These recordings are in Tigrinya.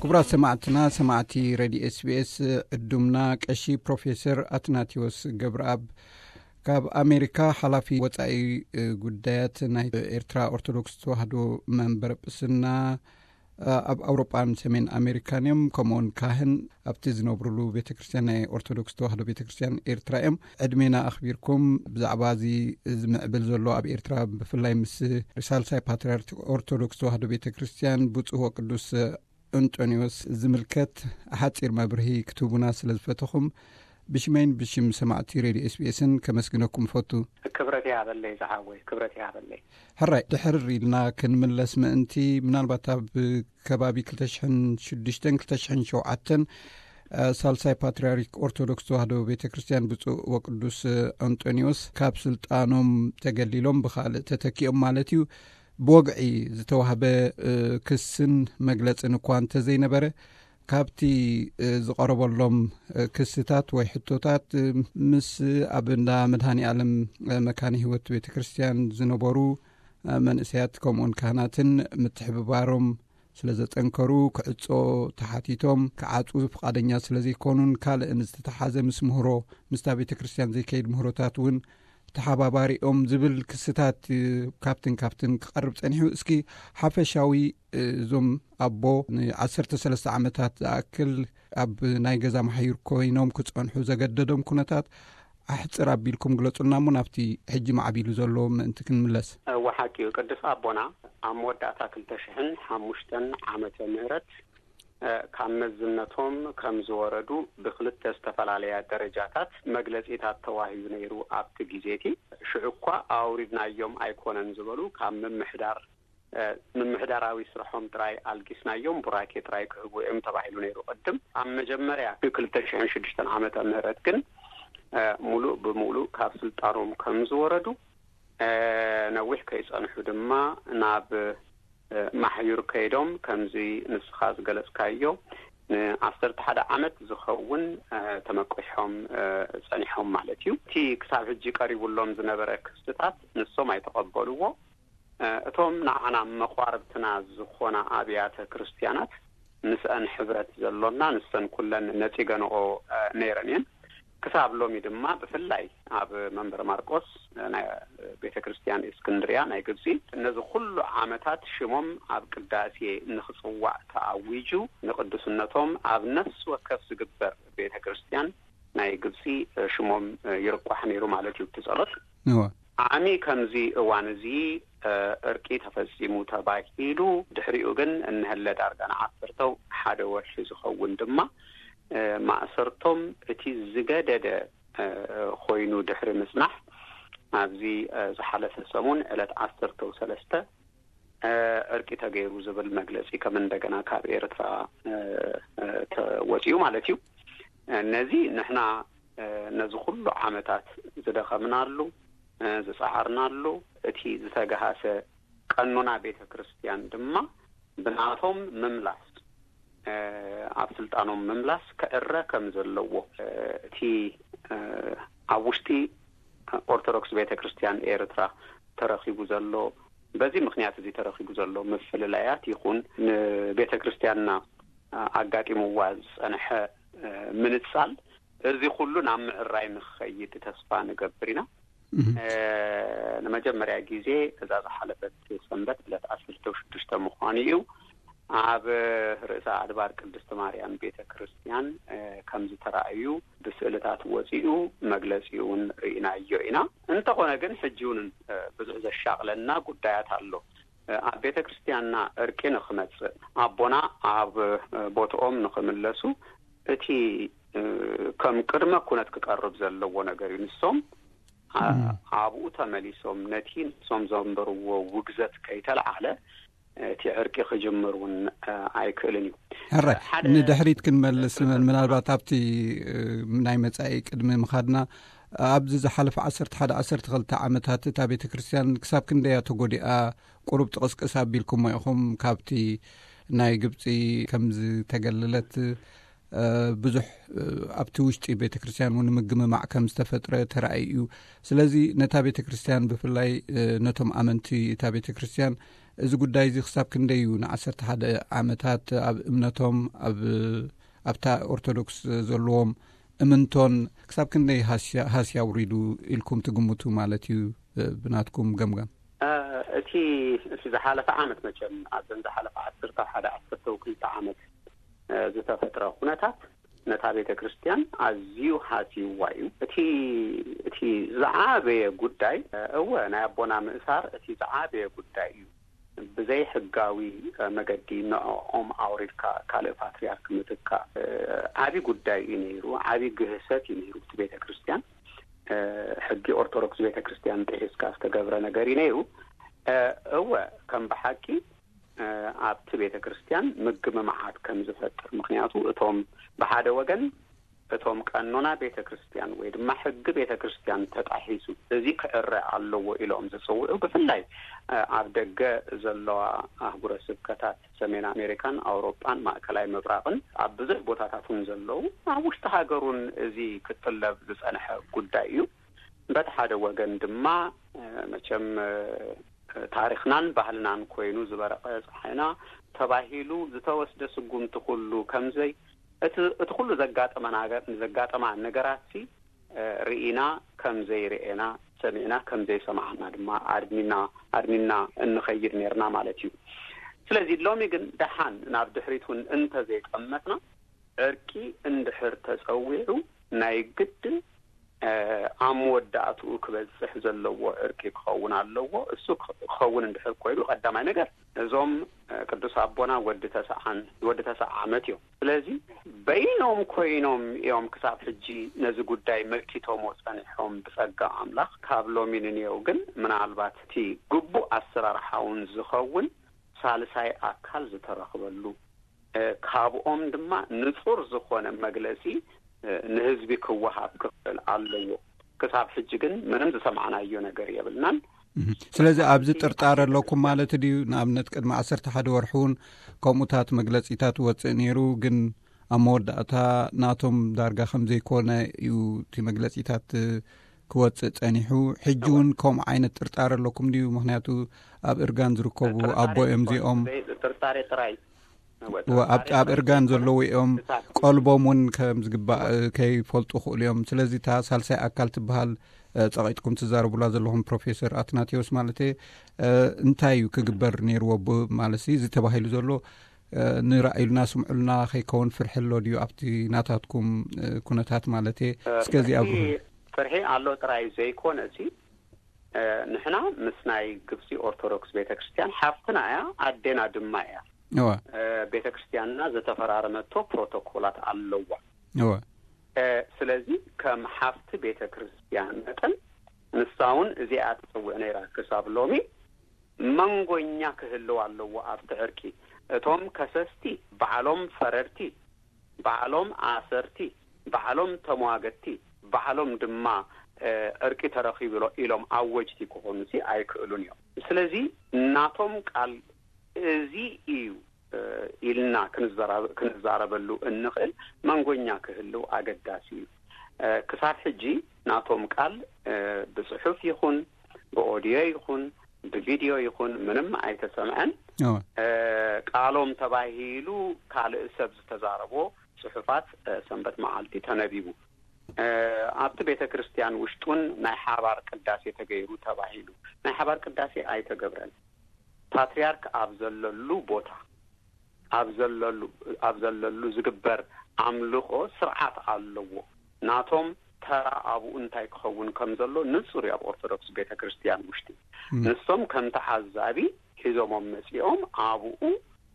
ክቡራት ሰማዕትና፣ ሰማዕቲ ሬድዮ ኤስቢኤስ፣ ዕዱምና ቀሺ ፕሮፌሰር ኣትናቴዎስ ገብረኣብ፣ ካብ ኣሜሪካ ሓላፊ ወጻኢ ጉዳያት ናይ ኤርትራ ኦርቶዶክስ ተዋህዶ መንበር ጵስና ኣብ ኣውሮጳን ሰሜን ኣሜሪካን እዮም። ከምኡውን ካህን ኣብቲ ዝነብሩሉ ቤተ ክርስቲያን፣ ናይ ኦርቶዶክስ ተዋህዶ ቤተ ክርስቲያን ኤርትራ እዮም። ዕድሜና ኣኽቢርኩም ብዛዕባ እዚ ዝምዕብል ዘሎ ኣብ ኤርትራ፣ ብፍላይ ምስ ሳልሳይ ፓትርያርክ ኦርቶዶክስ ተዋህዶ ቤተ ክርስቲያን ብፁዕ ወቅዱስ እንጦንዮስ ዝምልከት ሓጺር መብርሂ ክትህቡና ስለ ዝፈተኹም፣ ብሽመይን ብሽም ሰማዕቲ ሬድዮ ኤስቢኤስን ከመስግነኩም እፈቱ። ክብረት ይሃበለይ ዝሓወይ፣ ክብረት ይሃበለይ። ሕራይ፣ ድሕር ኢልና ክንምለስ ምእንቲ፣ ምናልባት ኣብ ከባቢ ክልተ ሽሕን ሽዱሽተን ክልተ ሽሕን ሸውዓተን፣ እ፣ ሳልሳይ ፓትርያርክ ኦርቶዶክስ ተዋህዶ ቤተ ክርስቲያን ብፁዕ ወቅዱስ፣ እ፣ ኣንጦንዮስ ካብ ስልጣኖም ተገሊሎም ብኻልእ ተተኪኦም ማለት እዩ፣ ብወግዒ ዝተዋህበ፣ እ፣ ክስን መግለጽን እኳ እንተዘይነበረ፣ ካብቲ፣ እ፣ ዝቐረበሎም፣ እ፣ ክስታት ወይ ሕቶታት፣ እ፣ ምስ ኣብ እንዳ መድሃኔ ዓለም፣ እ፣ መካነ ህይወት ቤተ ክርስቲያን ዝነበሩ፣ እ፣ መንእሰያት ከምኡውን ካህናትን ምትሕብባሮም ስለ ዘጠንከሩ፣ ክዕጾ ተሓቲቶም ክዓጹ ፍቓደኛ ስለ ዘይኮኑን ካልእን ዝተተሓዘ ምስ ምህሮ ምስታ ቤተ ክርስቲያን ዘይከይድ ምህሮታት እውን ተሓባባሪኦም ዝብል ክስታት፣ እ፣ ካብትን ካብትን ክቐርብ ጸኒሑ። እስኪ ሓፈሻዊ፣ እ፣ እዞም ኣቦ ንዓሰርተ ሰለስተ ዓመታት ዝኣክል ኣብ ናይ ገዛ ማሕዩር ኮይኖም ክጸንሑ ዘገደዶም ኩነታት ኣሕጽር ኣቢልኩም ግለጹልና እሞ፣ ናብቲ ሕጂ ማዕቢሉ ዘሎ ምእንቲ ክንምለስ። እወ፣ ሓቂ እዩ። ቅዱስ ኣቦና ኣብ መወዳእታ ክልተ ሽሕን ሓሙሽተን ዓመተ ምህረት፣ እ፣ ካብ መዝነቶም ከም ዝወረዱ ብክልተ ዝተፈላለያ ደረጃታት መግለጺታት ተዋሂቡ ነይሩ። ኣብቲ ግዜ እቲ ሽዑ እኳ ኣውሪድናዮም ኣይኮነን ዝበሉ፣ ካብ ምምሕዳር፣ እ፣ ምምሕዳራዊ ስርሖም ጥራይ ኣልጊስናዮም፣ ቡራኬ ጥራይ ክህቡ እዮም ተባሂሉ ነይሩ። ቅድም ኣብ መጀመርያ ክልተ ሽሕን ሽዱሽተን ዓመተ ምህረት ግን፣ እ፣ ሙሉእ ብሙሉእ ካብ ስልጣኖም ከም ዝወረዱ፣ እ፣ ነዊሕ ከይጸንሑ ድማ ናብ፣ እ፣ ማሕዩር ከይዶም፣ ከምዚ ንስኻ ዝገለጽካዮ ንዓሰርተ ሓደ ዓመት ዝኸውን፣ እ፣ ተመቂሖም፣ እ፣ ጸኒሖም ማለት እዩ። እቲ ክሳብ ሕጂ ቀሪቡሎም ዝነበረ ክስታት ንሶም ኣይተቐበልዎ። እ፣ እቶም ንዓና መቋርብትና ዝኾና ኣብያተ ክርስቲያናት ምስአን ሕብረት ዘሎና፣ ንሰን ኩለን ነጺገንኦ፣ እ፣ ነይረን እየን። ክሳብ ሎሚ ድማ ብፍላይ ኣብ መንበረ ማርቆስ፣ እ፣ ናይ ቤተ ክርስቲያን እስክንድርያ ናይ ግብጺ፣ ነዚ ኩሉ ዓመታት ሽሞም ኣብ ቅዳሴ ንኽጽዋዕ ተኣዊጁ፣ ንቅዱስነቶም ኣብ ነፍሲ ወከፍ ዝግበር ቤተ ክርስቲያን ናይ ግብጺ፣ እ፣ ሽሞም፣ እ፣ ይርቋሕ ነይሩ ማለት እዩ። እቲ ጸሎት እወ። ዓሚ ከምዚ እዋን እዚ፣ እ፣ እርቂ ተፈጺሙ ተባሂሉ፣ ድሕሪኡ ግን እንሀለ ዳርጋ ንዓሰርተው ሓደ ወርሒ ዝኸውን ድማ፣ እ፣ ማእሰርቶም እቲ ዝገደደ፣ እ፣ ኮይኑ ድሕሪ ምጽናሕ፣ ኣብዚ፣ እ፣ ዝሓለፈ ሰሙን ዕለት ዓሰርተው ሰለስተ፣ እ፣ እርቂ ተገይሩ ዝብል መግለጺ ከም እንደገና ካብ ኤርትራ፣ እ፣ እ፣ ተወጺኡ ማለት እዩ። እ፣ ነዚ ንሕና፣ እ፣ ነዚ ኩሉ ዓመታት ዝደኸምናሉ፣ እ፣ ዝጸዓርናሉ፣ እቲ ዝተገሃሰ ቀኖና ቤተ ክርስቲያን ድማ ብናቶም ምምላስ፣ እ፣ ኣብ ስልጣኖም ምምላስ ክዕረ ከም ዘለዎ፣ እ፣ እቲ፣ እ፣ ኣብ ውሽጢ ኦርቶዶክስ ቤተ ክርስቲያን ኤርትራ ተረኺቡ ዘሎ፣ በዚ ምኽንያት እዚ ተረኺቡ ዘሎ ምፍልላያት ይኹን ንቤተ ክርስቲያንና፣ እ፣ ኣጋጢምዋ ዝጸንሐ፣ እ፣ ምንጻል፣ እዚ ኩሉ ናብ ምዕራይ ንኽኸይድ ተስፋ ንገብር ኢና። እህ። እ፣ ንመጀመርያ ግዜ እዛ ዝሓለፈት ሰንበት ዕለት ዓሰርተ ሽዱሽተ ምዃኑ እዩ። ኣብ ርእሰ ኣድባር ቅድስቲ ማርያም ቤተ ክርስቲያን፣ እ፣ ከም ዝተራእዩ ብስእልታት ወጺኡ መግለጺ እውን ርኢናዮ ኢና። እንተኾነ ግን ሕጂ እውን፣ እ፣ ብዙሕ ዘሻቕለና ጉዳያት ኣሎ። እ፣ ኣብ ቤተ ክርስቲያንና እርቂ ንኽመጽእ፣ ኣቦና ኣብ፣ እ፣ ቦትኦም ንኽምለሱ፣ እቲ፣ እ፣ ከም ቅድመ ኩነት ክቀርብ ዘለዎ ነገር እዩ። ንሶም፣ እ፣ እም። ኣብኡ ተመሊሶም ነቲ ንሶም ዘንበርዎ ውግዘት ከይተለዓለ፣ እቲ ዕርቂ ክጅምር እውን፣ እ፣ ኣይክእልን እዩ። ሕራይ፣ ሓደ ንድሕሪት ክንመልስ፣ ምናልባት ኣብቲ፣ እ፣ ናይ መጻኢ ቅድሚ ምኻድና፣ ኣብዚ ዝሓለፈ ዓሰርተ ሓደ ዓሰርተ ክልተ ዓመታት እታ ቤተ ክርስቲያን ክሳብ ክንደያ ተጎዲኣ፣ ቁሩብ ጥቕስቅስ ኣቢልኩሞ ኢኹም። ካብቲ ናይ ግብጺ ከም ዝተገለለት፣ እ፣ ብዙሕ፣ እ፣ ኣብቲ ውሽጢ ቤተ ክርስቲያን እውን ምግምማዕ ከም ዝተፈጥረ ተራእዩ እዩ። ስለዚ ነታ ቤተ ክርስቲያን ብፍላይ፣ እ፣ ነቶም ኣመንቲ እታ ቤተ ክርስቲያን እዚ ጉዳይ እዚ ክሳብ ክንደይ እዩ ንዓሰርተ ሓደ ዓመታት ኣብ እምነቶም፣ ኣብ ኣብታ ኦርቶዶክስ ዘለዎም እምንቶን ክሳብ ክንደይ ሃስያ ውሪዱ ኢልኩም ትግምቱ ማለት እዩ? ብናትኩም ገምጋም። እቲ እቲ ዝሓለፈ ዓመት፣ መቸም ኣብዘን ዝሓለፈ ዓሰርተ ሓደ ዓሰርተ ክልተ ዓመት ዝተፈጥረ ኩነታት ነታ ቤተ ክርስቲያን ኣዝዩ ሃስይዋ እዩ። እቲ እቲ ዝዓበየ ጉዳይ፣ እወ፣ ናይ ኣቦና ምእሳር እቲ ዝዓበየ ጉዳይ እዩ። ብዘይ ሕጋዊ መገዲ ንዕኦም ኣውሪድካ ካልእ ፓትርያርክ ምትካእ ዓቢ ጉዳይ እዩ ነይሩ። ዓቢ ግህሰት እዩ ነይሩ። እቲ ቤተ ክርስቲያን ሕጊ ኦርቶዶክስ ቤተ ክርስቲያን ጥሒስካ ዝተገብረ ነገር እዩ ነይሩ። እወ፣ ከም ብሓቂ ኣብቲ ቤተ ክርስቲያን ምግምማዓት ከም ዝፈጥር፣ ምክንያቱ እቶም ብሓደ ወገን እቶም ቀኖና ቤተ ክርስቲያን ወይ ድማ ሕጊ ቤተ ክርስቲያን ተጣሒሱ፣ እዚ ክዕረ ኣለዎ ኢሎም ዝጽውዑ፣ ብፍላይ ኣብ ደገ ዘለዋ ኣህጉረ ስብከታት ሰሜን ኣሜሪካን ኣውሮጳን ማእከላይ ምብራቕን ኣብ ብዙሕ ቦታታት እውን ዘለዉ፣ ኣብ ውሽጢ ሃገሩን እዚ ክጥለብ ዝጸንሐ ጉዳይ እዩ። በቲ ሓደ ወገን ድማ መቸም ታሪኽናን ባህልናን ኮይኑ ዝበረቐ ጸሓይና ተባሂሉ ዝተወስደ ስጉምቲ ኩሉ ከምዘይ እቲ እቲ ኩሉ ዘጋጠመና ዘጋጠማ ነገራት ሲ ርኢና ከም ዘይርኤና፣ ሰሚዕና ከም ዘይሰማዕና ድማ ኣድሚና ኣድሚና እንኸይድ ነርና ማለት እዩ። ስለዚ ሎሚ ግን ደሓን ናብ ድሕሪት እውን እንተዘይጠመትና፣ ዕርቂ እንድሕር ተጸዊዑ ናይ ግድን ኣብ መወዳእትኡ ክበጽሕ ዘለዎ ዕርቂ ክኸውን ኣለዎ። እሱ ክኸውን እንድሕር ኮይኑ፣ ቀዳማይ ነገር እዞም ቅዱስ ኣቦና ወዲ ተስዓን ወዲ ተስዓ ዓመት እዮም። ስለዚ በይኖም ኮይኖም እዮም ክሳብ ሕጂ ነዚ ጉዳይ መኪቶሞ ጸኒሖም። ብጸጋ ኣምላኽ ካብ ሎሚ ንንየው ግን ምናልባት እቲ ግቡእ ኣሰራርሓውን ዝኸውን ሳልሳይ ኣካል ዝተረኽበሉ፣ ካብኦም ድማ ንጹር ዝኾነ መግለጺ ንህዝቢ ክወሃብ ክኽእል ኣለዎ። ክሳብ ሕጂ ግን ምንም ዝሰማዕናዮ ነገር የብልናን። ስለዚ ኣብዚ ጥርጣረ ኣለኩም ማለት ድዩ? ንኣብነት ቅድሚ ዓሰርተ ሓደ ወርሒ እውን ከምኡታት መግለጺታት ወጽእ ነይሩ፣ ግን ኣብ መወዳእታ ናቶም ዳርጋ ከም ዘይኮነ እዩ እቲ መግለጺታት ክወጽእ ጸኒሑ። ሕጂ እውን ከምኡ ዓይነት ጥርጣረ ኣለኩም ድዩ? ምክንያቱ ኣብ እርጋን ዝርከቡ ኣቦ እዮም እዚኦም። ጥርጣሬ ጥራይ ኣብ እርጋን ዘለዉ እዮም። ቀልቦም እውን ከም ዝግባእ ከይፈልጡ ክእሉ እዮም። ስለዚ እታ ሳልሳይ ኣካል ትበሃል ጸቒጥኩም ትዛረቡላ ዘለኹም፣ ፕሮፌሰር ኣትናቴዎስ ማለት እንታይ እዩ ክግበር ነይርዎ? ማለት እዚ ተባሂሉ ዘሎ ንራእዩልና ስምዑልና ከይከውን ፍርሒ ኣሎ ድዩ ኣብቲ ናታትኩም ኩነታት ማለት? እስከዚ ኣብርሁ። ፍርሒ ኣሎ ጥራይ ዘይኮነ፣ ንሕና ምስ ናይ ግብፂ ኦርቶዶክስ ቤተክርስትያን ሓፍትና እያ፣ ኣዴና ድማ እያ። ቤተክርስትያንና ዝተፈራረመቶ ፕሮቶኮላት ኣለዋ። ስለዚ ከም ሓፍቲ ቤተክርስትያን መጠን ንሳ እውን እዚኣ ትፅውዕ ነይራ። ክሳብ ሎሚ መንጎኛ ክህልው ኣለዎ ኣብቲ ዕርቂ። እቶም ከሰስቲ ባዕሎም ፈረድቲ፣ ባዕሎም ኣሰርቲ፣ ባዕሎም ተሟገቲ፣ ባዕሎም ድማ ዕርቂ ተረኺቡ ኢሎም ኣወጅቲ ክኾኑ ሲ ኣይክእሉን እዮም። ስለዚ ናቶም ቃል እዚ እዩ ኢልና ክንዛረበሉ እንኽእል መንጎኛ ክህልው ኣገዳሲ እዩ። ክሳብ ሕጂ ናቶም ቃል ብፅሑፍ ይኹን ብኦድዮ ይኹን ብቪድዮ ይኹን ምንም ኣይተሰምዐን። ቃሎም ተባሂሉ ካልእ ሰብ ዝተዛረቦ ፅሑፋት ሰንበት መዓልቲ ተነቢቡ። ኣብቲ ቤተ ክርስቲያን ውሽጡን ናይ ሓባር ቅዳሴ ተገይሩ ተባሂሉ። ናይ ሓባር ቅዳሴ ኣይተገብረን። ፓትርያርክ ኣብ ዘለሉ ቦታ፣ ኣብ ዘለሉ ዝግበር ኣምልኾ ስርዓት ኣለዎ። ናቶም ተራ ኣብኡ እንታይ ክኸውን ከም ዘሎ ንጹር እዩ። ኣብ ኦርቶዶክስ ቤተ ክርስቲያን ውሽጢ ንሶም ከም ተዓዛቢ ሒዞሞም መጺኦም ኣብኡ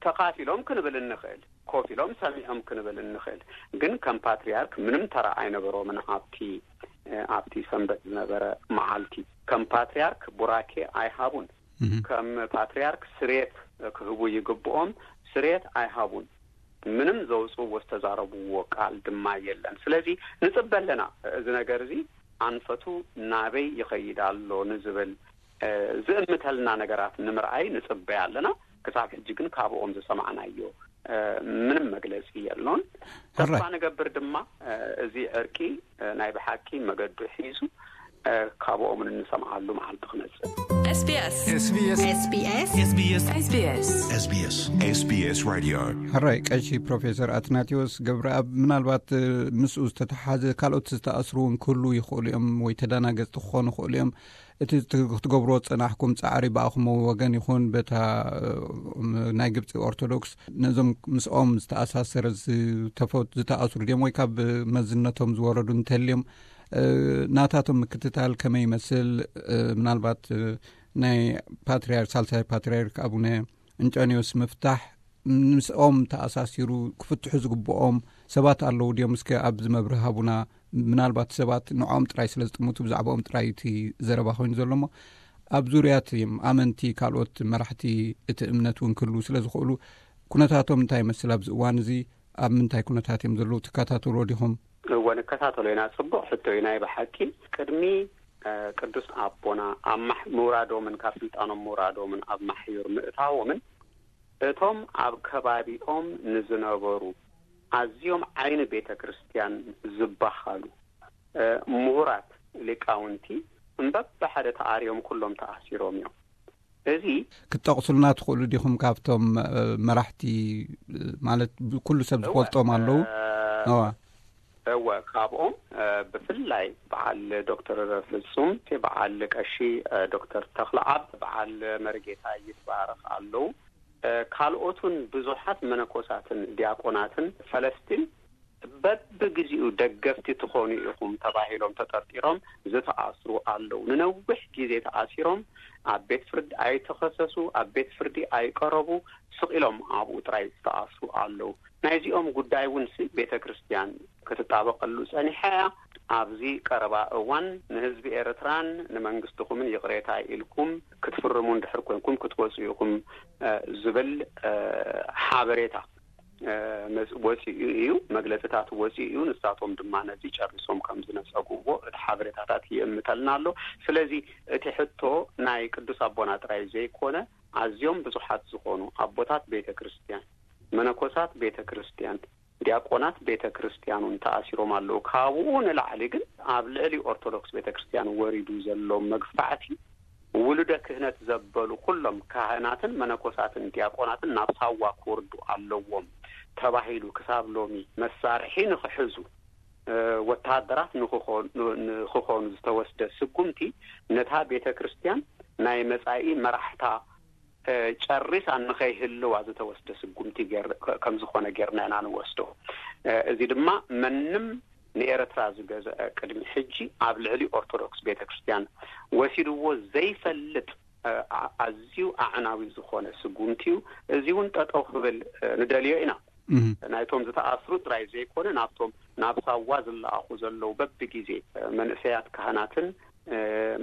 ተኻፊሎም ክንብል እንኽእል፣ ኮፍ ኢሎም ሰሚዖም ክንብል እንኽእል። ግን ከም ፓትርያርክ ምንም ተራ ኣይነበሮምን። ኣብቲ ኣብቲ ሰንበት ዝነበረ መዓልቲ ከም ፓትርያርክ ቡራኬ ኣይሃቡን። ከም ፓትርያርክ ስሬት ክህቡ ይግብኦም፣ ስሬት ኣይሃቡን። ምንም ዘውፅዎ ዝተዛረብዎ ቃል ድማ የለን። ስለዚ ንፅበ ኣለና፣ እዚ ነገር እዚ ኣንፈቱ ናበይ ይኸይድ ኣሎ ንዝብል ዝእምተልና ነገራት ንምርኣይ ንፅበ ኣለና። ክሳብ ሕጂ ግን ካብኦም ዝሰማዕናዮ ምንም መግለፂ የሎን። ተስፋ ንገብር ድማ እዚ ዕርቂ ናይ ብሓቂ መገዱ ሒዙ ካብኦም እንሰምዓሉ መዓልቲ ክመፅእ። SBS SBS SBS SBS SBS SBS SBS SBS Radio. ሕራይ ቀሺ ፕሮፌሰር ኣትናቴዎስ ገብረኣብ፣ ምናልባት ምስኡ ዝተተሓዘ ካልኦት ዝተኣስሩ እውን ክህሉ ይኽእሉ እዮም ወይ ተዳናገጽቲ ክኾኑ ይኽእሉ እዮም። እቲ ክትገብርዎ ዝጸናሕኩም ጻዕሪ ብኣኹም ወገን ይኹን በታ ናይ ግብጺ ኦርቶዶክስ፣ ነዞም ምስኦም ዝተኣሳሰረ ዝተፈት ዝተኣስሩ ድዮም ወይ ካብ መዝነቶም ዝወረዱ እንተልዮም፣ ናታቶም ምክትታል ከመይ ይመስል? ምናልባት ናይ ፓትርያርክ፣ ሳልሳይ ፓትርያርክ ኣቡነ እንጦንዮስ ምፍታሕ ምስኦም ተኣሳሲሩ ክፍትሑ ዝግብኦም ሰባት ኣለዉ ድዮም? እስከ ኣብዚ መብርህ ሃቡና። ምናልባት ሰባት ንዕኦም ጥራይ ስለ ዝጥምቱ ብዛዕባኦም ጥራይ እቲ ዘረባ ኮይኑ ዘሎ እሞ፣ ኣብ ዙርያ እቲ ኣመንቲ ካልኦት መራሕቲ እቲ እምነት እውን ክህልዉ ስለ ዝኽእሉ፣ ኩነታቶም እንታይ ይመስል ኣብዚ እዋን እዚ? ኣብ ምንታይ ኩነታት እዮም ዘለዉ? ትከታተልዎ ዲኹም? እወ፣ ንከታተሎ ኢና። ጽቡቕ ሕቶ እዩ ናይ ብሓቂ። ቅድሚ ቅዱስ ኣቦና ኣብ ማሕ- ምውራዶምን ካብ ስልጣኖም ምውራዶምን ኣብ ማሕዩር ምእታዎምን፣ እቶም ኣብ ከባቢኦም ንዝነበሩ ኣዝዮም ዓይኒ ቤተ ክርስቲያን ዝበሃሉ ምሁራት ሊቃውንቲ እምበብሓደ ተኣርዮም ኩሎም ተኣሲሮም እዮም። እዚ ክትጠቕሱልና ትኽእሉ ዲኹም? ካብቶም መራሕቲ ማለት ኩሉ ሰብ ዝፈልጦም ኣለዉ። እወ፣ ካብኦም ብፍላይ በዓል ዶክተር ፍጹም፣ በዓል ቀሺ ዶክተር ተኽለኣብ፣ በዓል መርጌታ ይትባረኽ ኣለዉ። ካልኦቱን ብዙሓት መነኮሳትን ዲያቆናትን ፈለስቲን በብግዚኡ ደገፍቲ ትኾኑ ኢኹም ተባሂሎም ተጠርጢሮም ዝተኣስሩ ኣለዉ። ንነዊሕ ግዜ ተኣሲሮም ኣብ ቤት ፍርዲ ኣይተኸሰሱ፣ ኣብ ቤት ፍርዲ ኣይቀረቡ፣ ስቕ ኢሎም ኣብኡ ጥራይ ዝተኣስሩ ኣለዉ። ናይዚኦም ጉዳይ እውን ሲ ቤተ ክርስቲያን ክትጣበቐሉ ጸኒሓ እያ። ኣብዚ ቀረባ እዋን ንህዝቢ ኤርትራን ንመንግስትኹምን ይቕሬታ ኢልኩም ክትፍርሙ እንድሕር ኮንኩም ክትወጹ ኢኹም ዝብል ሓበሬታ ወፂኡ እዩ፣ መግለፅታት ወፂኡ እዩ። ንሳቶም ድማ ነዚ ጨሪሶም ከም ዝነፀጉዎ እቲ ሓበሬታታት ይእምተልና ኣሎ። ስለዚ እቲ ሕቶ ናይ ቅዱስ ኣቦና ጥራይ ዘይኮነ፣ ኣዝዮም ብዙሓት ዝኾኑ ኣቦታት ቤተ ክርስቲያን፣ መነኮሳት ቤተ ክርስቲያን፣ ዲያቆናት ቤተ ክርስቲያን እውን ተኣሲሮም ኣለዉ። ካብኡ ንላዕሊ ግን ኣብ ልዕሊ ኦርቶዶክስ ቤተ ክርስቲያን ወሪዱ ዘሎ መግፋዕቲ፣ ውሉደ ክህነት ዘበሉ ኩሎም ካህናትን መነኮሳትን ዲያቆናትን ናብ ሳዋ ክወርዱ ኣለዎም ተባሂሉ ክሳብ ሎሚ መሳርሒ ንኽሕዙ ወታደራት ንኽኾኑ ዝተወስደ ስጉምቲ፣ ነታ ቤተ ክርስቲያን ናይ መጻኢ መራሕታ ጨሪሳ ንኸይህልዋ ዝተወስደ ስጉምቲ ከም ዝኾነ ጌርና ኢና ንወስዶ። እዚ ድማ መንም ንኤርትራ ዝገዘአ ቅድሚ ሕጂ ኣብ ልዕሊ ኦርቶዶክስ ቤተክርስትያን ወሲድዎ ዘይፈልጥ ኣዝዩ ኣዕናዊ ዝኾነ ስጉምቲ እዩ። እዚ እውን ጠጠው ክብል ንደልዮ ኢና። ናይቶም ዝተኣስሩ ጥራይ ዘይኮነ ናብቶም ናብ ሳዋ ዝለኣኹ ዘለዉ በብግዜ መንእሰያት ካህናትን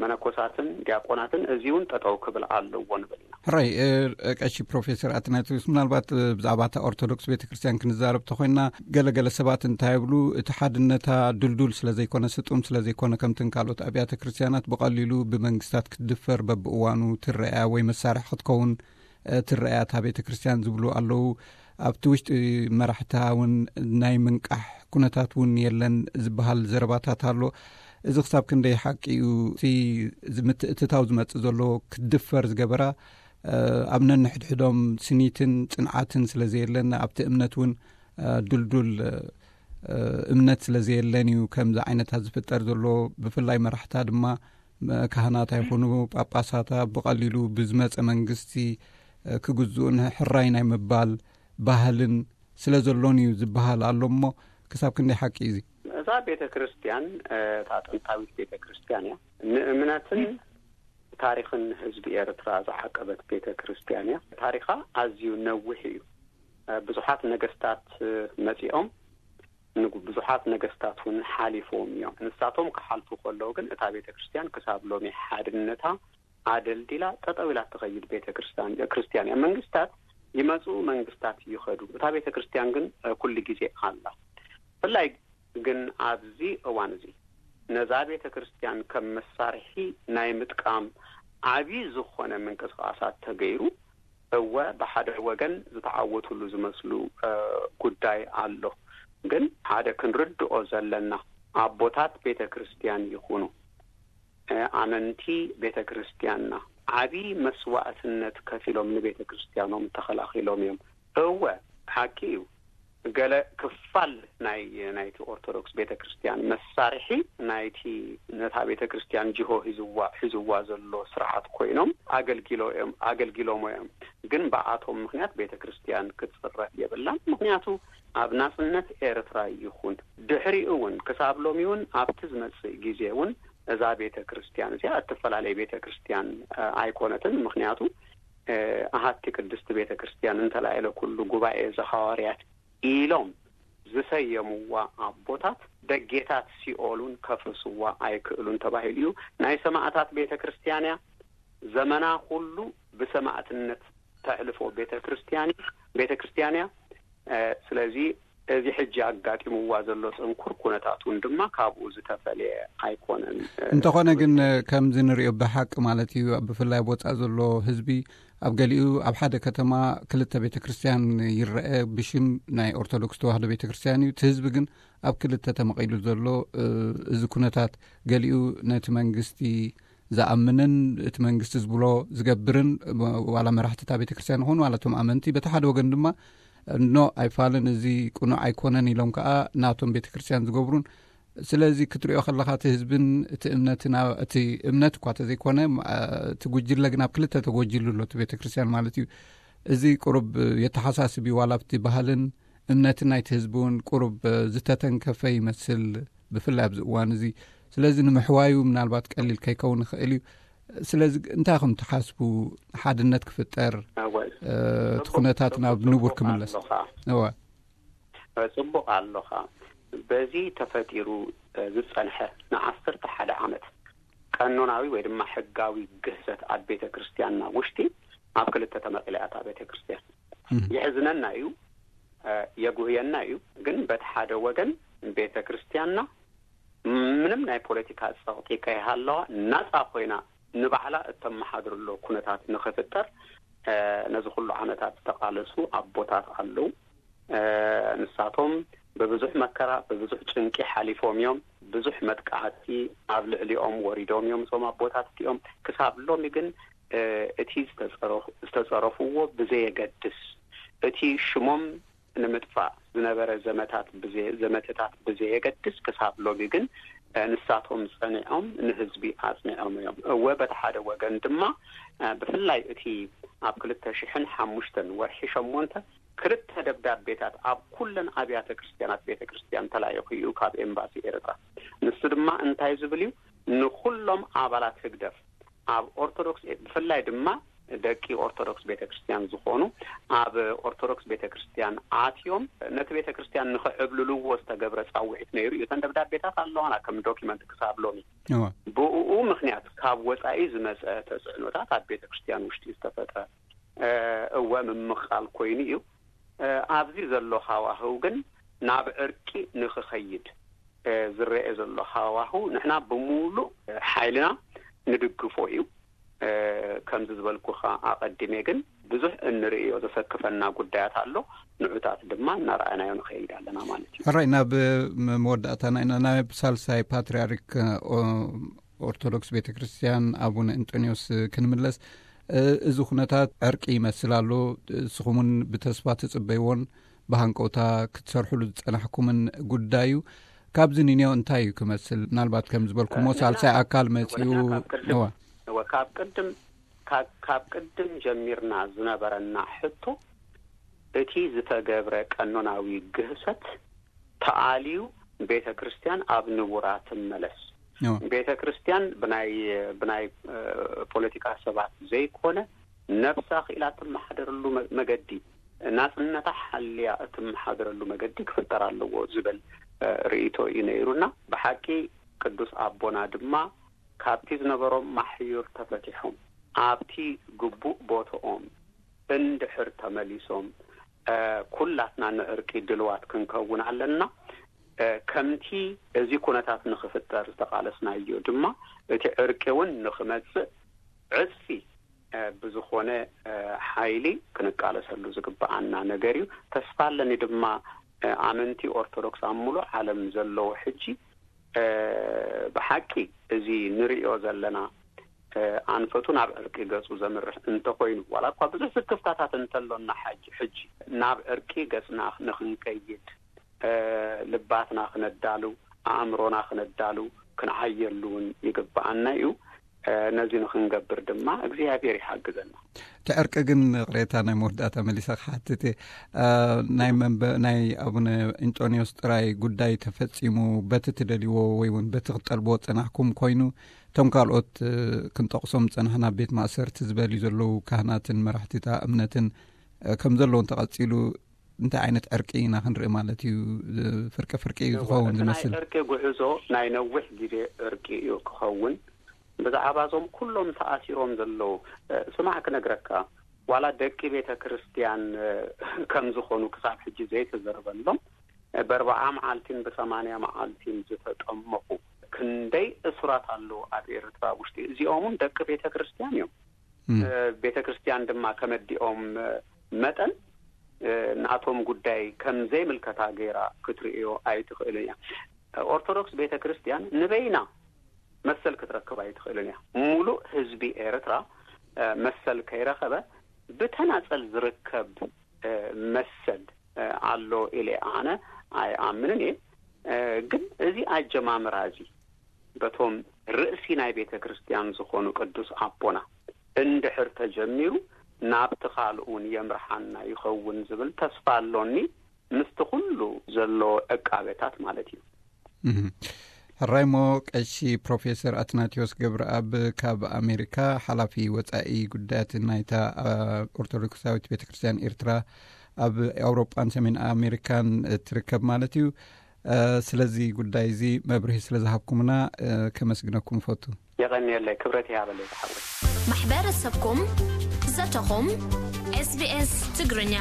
መነኮሳትን ዲያቆናትን እዚ እውን ጠጠው ክብል ኣለዎ ንብል ኢና። ሕራይ ቀሺ ፕሮፌሰር ኣትናቴዎስ፣ ምናልባት ብዛዕባ እታ ኦርቶዶክስ ቤተክርስትያን ክንዛረብ ተኮይና፣ ገለገለ ሰባት እንታይ ይብሉ፣ እቲ ሓድነታ ድልዱል ስለዘይኮነ፣ ስጡም ስለዘይኮነ፣ ከምትን ካልኦት ኣብያተ ክርስትያናት ብቐሊሉ ብመንግስታት ክትድፈር በብእዋኑ ትረኣያ ወይ መሳርሒ ክትከውን ትረኣያ እታ ቤተክርስትያን ዝብሉ ኣለዉ። ኣብቲ ውሽጢ መራሕታ እውን ናይ ምንቃሕ ኩነታት እውን የለን ዝበሃል ዘረባታት ኣሎ። እዚ ክሳብ ክንደይ ሓቂ እዩ? እቲ ምትእትታው ዝመጽእ ዘሎ ክትድፈር ዝገበራ ኣብ ነንሕድሕዶም ስኒትን ጽንዓትን ስለ ዘየለን፣ ኣብቲ እምነት እውን ድልዱል እምነት ስለ ዘየለን እዩ ከምዚ ዓይነታት ዝፍጠር ዘሎ። ብፍላይ መራሕታ ድማ ካህናት ኣይኹኑ ጳጳሳታ ብቐሊሉ ብዝመጸ መንግስቲ ክግዝኡን ሕራይ ናይ ምባል ባህልን ስለ ዘሎን እዩ ዝበሃል ኣሎ። እሞ ክሳብ ክንደይ ሓቂ እዩ እዚ? እዛ ቤተ ክርስትያን እታ ጥንታዊት ቤተ ክርስትያን እያ። ንእምነትን ታሪኽን ህዝቢ ኤርትራ ዝዓቀበት ቤተ ክርስትያን እያ። ታሪኻ ኣዝዩ ነዊሕ እዩ። ብዙሓት ነገስታት መጺኦም፣ ብዙሓት ነገስታት እውን ሓሊፎም እዮም። ንሳቶም ክሓልፉ ከለዉ ግን እታ ቤተ ክርስትያን ክሳብ ሎሚ ሓድነታ ኣደልዲላ ጠጠው ኢላ ትኸይድ ቤተ ክርስትያን እያ። መንግስታት ይመጹ፣ መንግስታት ይኸዱ፣ እታ ቤተ ክርስትያን ግን ኩሉ ግዜ ኣላ። ብፍላይ ግን ኣብዚ እዋን እዚ ነዛ ቤተ ክርስትያን ከም መሳርሒ ናይ ምጥቃም ዓቢ ዝኾነ ምንቅስቃሳት ተገይሩ፣ እወ ብሓደ ወገን ዝተዓወቱሉ ዝመስሉ ጉዳይ ኣሎ። ግን ሓደ ክንርድኦ ዘለና፣ ኣቦታት ቤተ ክርስትያን ይኹኑ ኣመንቲ ቤተ ክርስትያንና፣ ዓብዪ መስዋእትነት ከፊሎም ንቤተ ክርስቲያኖም ተኸላኺሎም እዮም። እወ፣ ሓቂ እዩ። ገለ ክፋል ናይ ናይቲ ኦርቶዶክስ ቤተ ክርስቲያን መሳርሒ ናይቲ ነታ ቤተ ክርስቲያን ጅሆ ሂዝዋ ሒዝዋ ዘሎ ስርዓት ኮይኖም ኣገልጊሎ እዮም ኣገልጊሎሞ እዮም። ግን ብኣቶም ምክንያት ቤተ ክርስቲያን ክትፅረፍ የብላን። ምክንያቱ ኣብ ናጽነት ኤርትራ ይኹን ድሕሪኡ እውን ክሳብ ሎሚ እውን ኣብቲ ዝመጽእ ግዜ እውን እዛ ቤተ ክርስቲያን እዚኣ እትፈላለየ ቤተ ክርስቲያን ኣይኮነትን። ምክንያቱ ኣሃቲ ቅድስቲ ቤተ ክርስቲያን እንተላይለ ኩሉ ጉባኤ ዘሐዋርያት ኢሎም ዝሰየምዋ ኣቦታት ደጌታት ሲኦሉን ከፍርስዋ ኣይክእሉን ተባሂሉ እዩ። ናይ ሰማእታት ቤተ ክርስቲያን እያ። ዘመና ኩሉ ብሰማእትነት ተዕልፎ ቤተ ክርስቲያን ቤተ ክርስቲያን እያ። ስለዚ እዚ ሕጂ ኣጋጢምዋ ዘሎ ጽንኩር ኩነታት እውን ድማ ካብኡ ዝተፈልየ ኣይኮነን። እንተኾነ ግን ከምዚ ንሪኦ ብሓቂ ማለት እዩ፣ ብፍላይ ኣብ ወፃእ ዘሎ ህዝቢ ኣብ ገሊኡ ኣብ ሓደ ከተማ ክልተ ቤተ ክርስቲያን ይረአ፣ ብሽም ናይ ኦርቶዶክስ ተዋህዶ ቤተ ክርስቲያን እዩ። እቲ ህዝቢ ግን ኣብ ክልተ ተመቒሉ ዘሎ። እዚ ኩነታት ገሊኡ ነቲ መንግስቲ ዝኣምንን እቲ መንግስቲ ዝብሎ ዝገብርን ዋላ መራሕቲ እታ ቤተ ክርስቲያን ይኹን ዋላ እቶም ኣመንቲ፣ በቲ ሓደ ወገን ድማ ኖ ኣይፋልን፣ እዚ ቅኑዕ ኣይኮነን ኢሎም ከዓ ናቶም ቤተ ክርስቲያን ዝገብሩን። ስለዚ ክትሪኦ ከለካ እቲ ህዝብን እቲ እምነትን እቲ እምነት እኳ ተዘይኮነ እቲ ጉጅለ ግን ኣብ ክልተ ተጎጅሉ ኣሎ እቲ ቤተ ክርስቲያን ማለት እዩ። እዚ ቁሩብ የተሓሳስብ እዩ ዋላ ኣብቲ ባህልን እምነትን ናይቲ ህዝቢ እውን ቁሩብ ዝተተንከፈ ይመስል። ብፍላይ ኣብዚ እዋን እዚ ስለዚ ንምሕዋዩ ምናልባት ቀሊል ከይከውን ይኽእል እዩ። ስለዚ እንታይ ከም ትሓስቡ ሓድነት ክፍጠር እቲ ኩነታት ናብ ንቡር ክምለስ? እወ ጽቡቕ ኣለኻ። በዚ ተፈጢሩ ዝጸንሐ ንዓሰርተ ሓደ ዓመት ቀኖናዊ ወይ ድማ ሕጋዊ ግህሰት ኣብ ቤተ ክርስቲያንና ውሽጢ ኣብ ክልተ ተመቒላ እያ እታ ቤተ ክርስቲያን። የሕዝነና እዩ፣ የጉህየና እዩ። ግን በቲ ሓደ ወገን ቤተ ክርስቲያንና ምንም ናይ ፖለቲካ ጸቕጢ ከይሃለዋ ናጻ ኮይና ንባዕላ እተመሓድርሎ ኩነታት ንኽፍጠር ነዚ ኩሉ ዓመታት ዝተቓለሱ ኣቦታት ኣለዉ። ንሳቶም ብብዙሕ መከራ ብብዙሕ ጭንቂ ሓሊፎም እዮም። ብዙሕ መጥቃዕቲ ኣብ ልዕሊኦም ወሪዶም እዮም እዞም ኣቦታት እቲኦም። ክሳብ ሎሚ ግን እቲ ዝተጸረፍዎ ብዘየገድስ፣ እቲ ሽሞም ንምጥፋእ ዝነበረ ዘመታት ዘመተታት ብዘየገድስ፣ ክሳብ ሎሚ ግን ንሳቶም ጸኒዖም ንህዝቢ ኣጽኒዖም እዮም። እወ በቲ ሓደ ወገን ድማ ብፍላይ እቲ ኣብ ክልተ ሽሕን ሓሙሽተን ወርሒ ሸሞንተ ክልተ ደብዳቤታት ኣብ ኩለን ኣብያተ ክርስቲያናት ቤተ ክርስቲያን ተላኢኹ እዩ ካብ ኤምባሲ ኤርትራ። ንሱ ድማ እንታይ ዝብል እዩ? ንኩሎም ኣባላት ህግደፍ ኣብ ኦርቶዶክስ ብፍላይ ድማ ደቂ ኦርቶዶክስ ቤተ ክርስቲያን ዝኾኑ ኣብ ኦርቶዶክስ ቤተ ክርስቲያን ኣትዮም ነቲ ቤተ ክርስቲያን ንኽዕብልልዎ ዝተገብረ ጻውዒት ነይሩ እዩ። እተን ደብዳቤታት ኣለዋና ከም ዶኪመንት ክሳብ ሎሚ። ብኡ ምክንያት ካብ ወጻኢ ዝመጸ ተጽዕኖታት ኣብ ቤተ ክርስቲያን ውሽጢ ዝተፈጥረ እወ ምምቓል ኮይኑ እዩ። ኣብዚ ዘሎ ሃዋህው ግን ናብ ዕርቂ ንኽኸይድ ዝረአ ዘሎ ሃዋህው ንሕና ብምሉእ ሓይልና ንድግፎ እዩ። ከምዚ ዝበልኩኻ ኣቐዲሜ ግን ብዙሕ እንርእዮ ዘሰክፈና ጉዳያት ኣሎ። ንዑታት ድማ እናረኣናዮ ንኸይድ ኣለና ማለት እዩ። ሕራይ ናብ መወዳእታና ኢና። ናብ ሳልሳይ ፓትርያርክ ኦርቶዶክስ ቤተ ክርስቲያን ኣቡነ እንጦንዮስ ክንምለስ፣ እዚ ኩነታት ዕርቂ ይመስል ኣሎ። ንስኹም እውን ብተስፋ ትጽበይዎን ብሃንቀውታ ክትሰርሕሉ ዝጸናሕኩምን ጉዳይ እዩ። ካብዚ ንንዮ እንታይ እዩ ክመስል? ምናልባት ከም ዝበልኩሞ ሳልሳይ ኣካል መጺኡ። እወ፣ ካብ ቅድም ካብ ቅድም ጀሚርና ዝነበረና ሕቶ እቲ ዝተገብረ ቀኖናዊ ግህሰት ተኣልዩ ቤተ ክርስቲያን ኣብ ንቡራ ትመለስ። ቤተ ክርስቲያን ብናይ ብናይ ፖለቲካ ሰባት ዘይኮነ ነብሳ ክኢላ ትመሓደረሉ መገዲ ናጽነታ ሓልያ እትመሓደረሉ መገዲ ክፍጠር ኣለዎ ዝብል ርእይቶ እዩ ነይሩና። ብሓቂ ቅዱስ ኣቦና ድማ ካብቲ ዝነበሮም ማሕዩር ተፈቲሖም ኣብቲ ግቡእ ቦትኦም እንድሕር ተመሊሶም ኩላትና ንዕርቂ ድልዋት ክንከውን ኣለና። ከምቲ እዚ ኩነታት ንኽፍጠር ዝተቓለስናዮ ድማ እቲ ዕርቂ እውን ንኽመጽእ ዕጽፊ ብዝኾነ ሓይሊ ክንቃለሰሉ ዝግብኣና ነገር እዩ። ተስፋ ኣለኒ ድማ ኣመንቲ ኦርቶዶክስ ኣብ ሙሉእ ዓለም ዘለዉ ሕጂ ብሓቂ እዚ ንርእዮ ዘለና ኣንፈቱ ናብ ዕርቂ ገጹ ዘምርሕ እንተኾይኑ፣ ዋላ እኳ ብዙሕ ስክፍታታት እንተሎና፣ ሓጂ ሕጂ ናብ ዕርቂ ገጽና ንኽንከይድ፣ ልባትና ክነዳሉ፣ ኣእምሮና ክነዳሉ፣ ክንዓየሉ እውን ይግብኣና እዩ። ነዚ ንኽንገብር ድማ እግዚኣብሔር ይሓግዘና። እቲ ዕርቂ ግን፣ ቅሬታ፣ ናይ መወዳእታ መሊሰ ክሓትት እየ። ናይ መንበ ናይ ኣቡነ እንጦንዮስ ጥራይ ጉዳይ ተፈጺሙ፣ በቲ ትደልይዎ ወይ እውን በቲ ክትጠልብዎ ጸናሕኩም ኮይኑ፣ እቶም ካልኦት ክንጠቕሶም ጸናሕና፣ ቤት ማእሰርቲ ዝበልዩ ዘለዉ ካህናትን መራሕቲታ እምነትን ከም ዘለዉ እንተቐጺሉ፣ እንታይ ዓይነት ዕርቂ ኢና ክንርኢ ማለት እዩ? ፍርቂ ፍርቂ እዩ ዝኸውን ዝመስል። ዕርቂ ጉዕዞ ናይ ነዊሕ ግዜ ዕርቂ እዩ ክኸውን። ብዛዕባ እዞም ኩሎም ተኣሲሮም ዘለዉ፣ ስማዕ ክነግረካ፣ ዋላ ደቂ ቤተ ክርስቲያን ከም ዝኾኑ ክሳብ ሕጂ ዘይተዘርበሎም፣ በርባዓ መዓልቲን ብሰማንያ መዓልቲን ዝተጠመቑ ክንደይ እሱራት ኣለዉ ኣብ ኤርትራ ውሽጢ። እዚኦም እውን ደቂ ቤተ ክርስቲያን እዮም። ቤተ ክርስቲያን ድማ ከመዲኦም መጠን፣ ናቶም ጉዳይ ከም ዘይምልከታ ገይራ ክትርእዮ ኣይትኽእልን እያ። ኦርቶዶክስ ቤተ ክርስቲያን ንበይና መሰል ክትረክብ ኣይትኽእልን እያ። ሙሉእ ህዝቢ ኤርትራ መሰል ከይረኸበ፣ ብተናጸል ዝርከብ መሰል ኣሎ ኢለ ኣነ ኣይኣምንን እየ። ግን እዚ ኣጀማምራ እዚ በቶም ርእሲ ናይ ቤተ ክርስቲያን ዝኾኑ ቅዱስ ኣቦና እንድሕር ተጀሚሩ፣ ናብቲ ካልእ እውን የምርሓና ይኸውን ዝብል ተስፋ ኣሎኒ፣ ምስቲ ኩሉ ዘሎ ዕቃበታት ማለት እዩ። ሕራይ እሞ፣ ቀሺ ፕሮፌሰር ኣትናቴዎስ ገብረኣብ፣ ካብ ኣሜሪካ፣ ሓላፊ ወጻኢ ጉዳያት ናይታ ኦርቶዶክሳዊት ቤተ ክርስቲያን ኤርትራ ኣብ ኣውሮጳን ሰሜን ኣሜሪካን ትርከብ ማለት እዩ። ስለዚ ጉዳይ እዚ መብርሂ ስለ ዝሃብኩምና ከመስግነኩም እፈቱ። የቐንየለይ፣ ክብረት ይሃበለይ ዝሓወይ። ማሕበረሰብኩም፣ ዘተኹም፣ SBS ትግርኛ።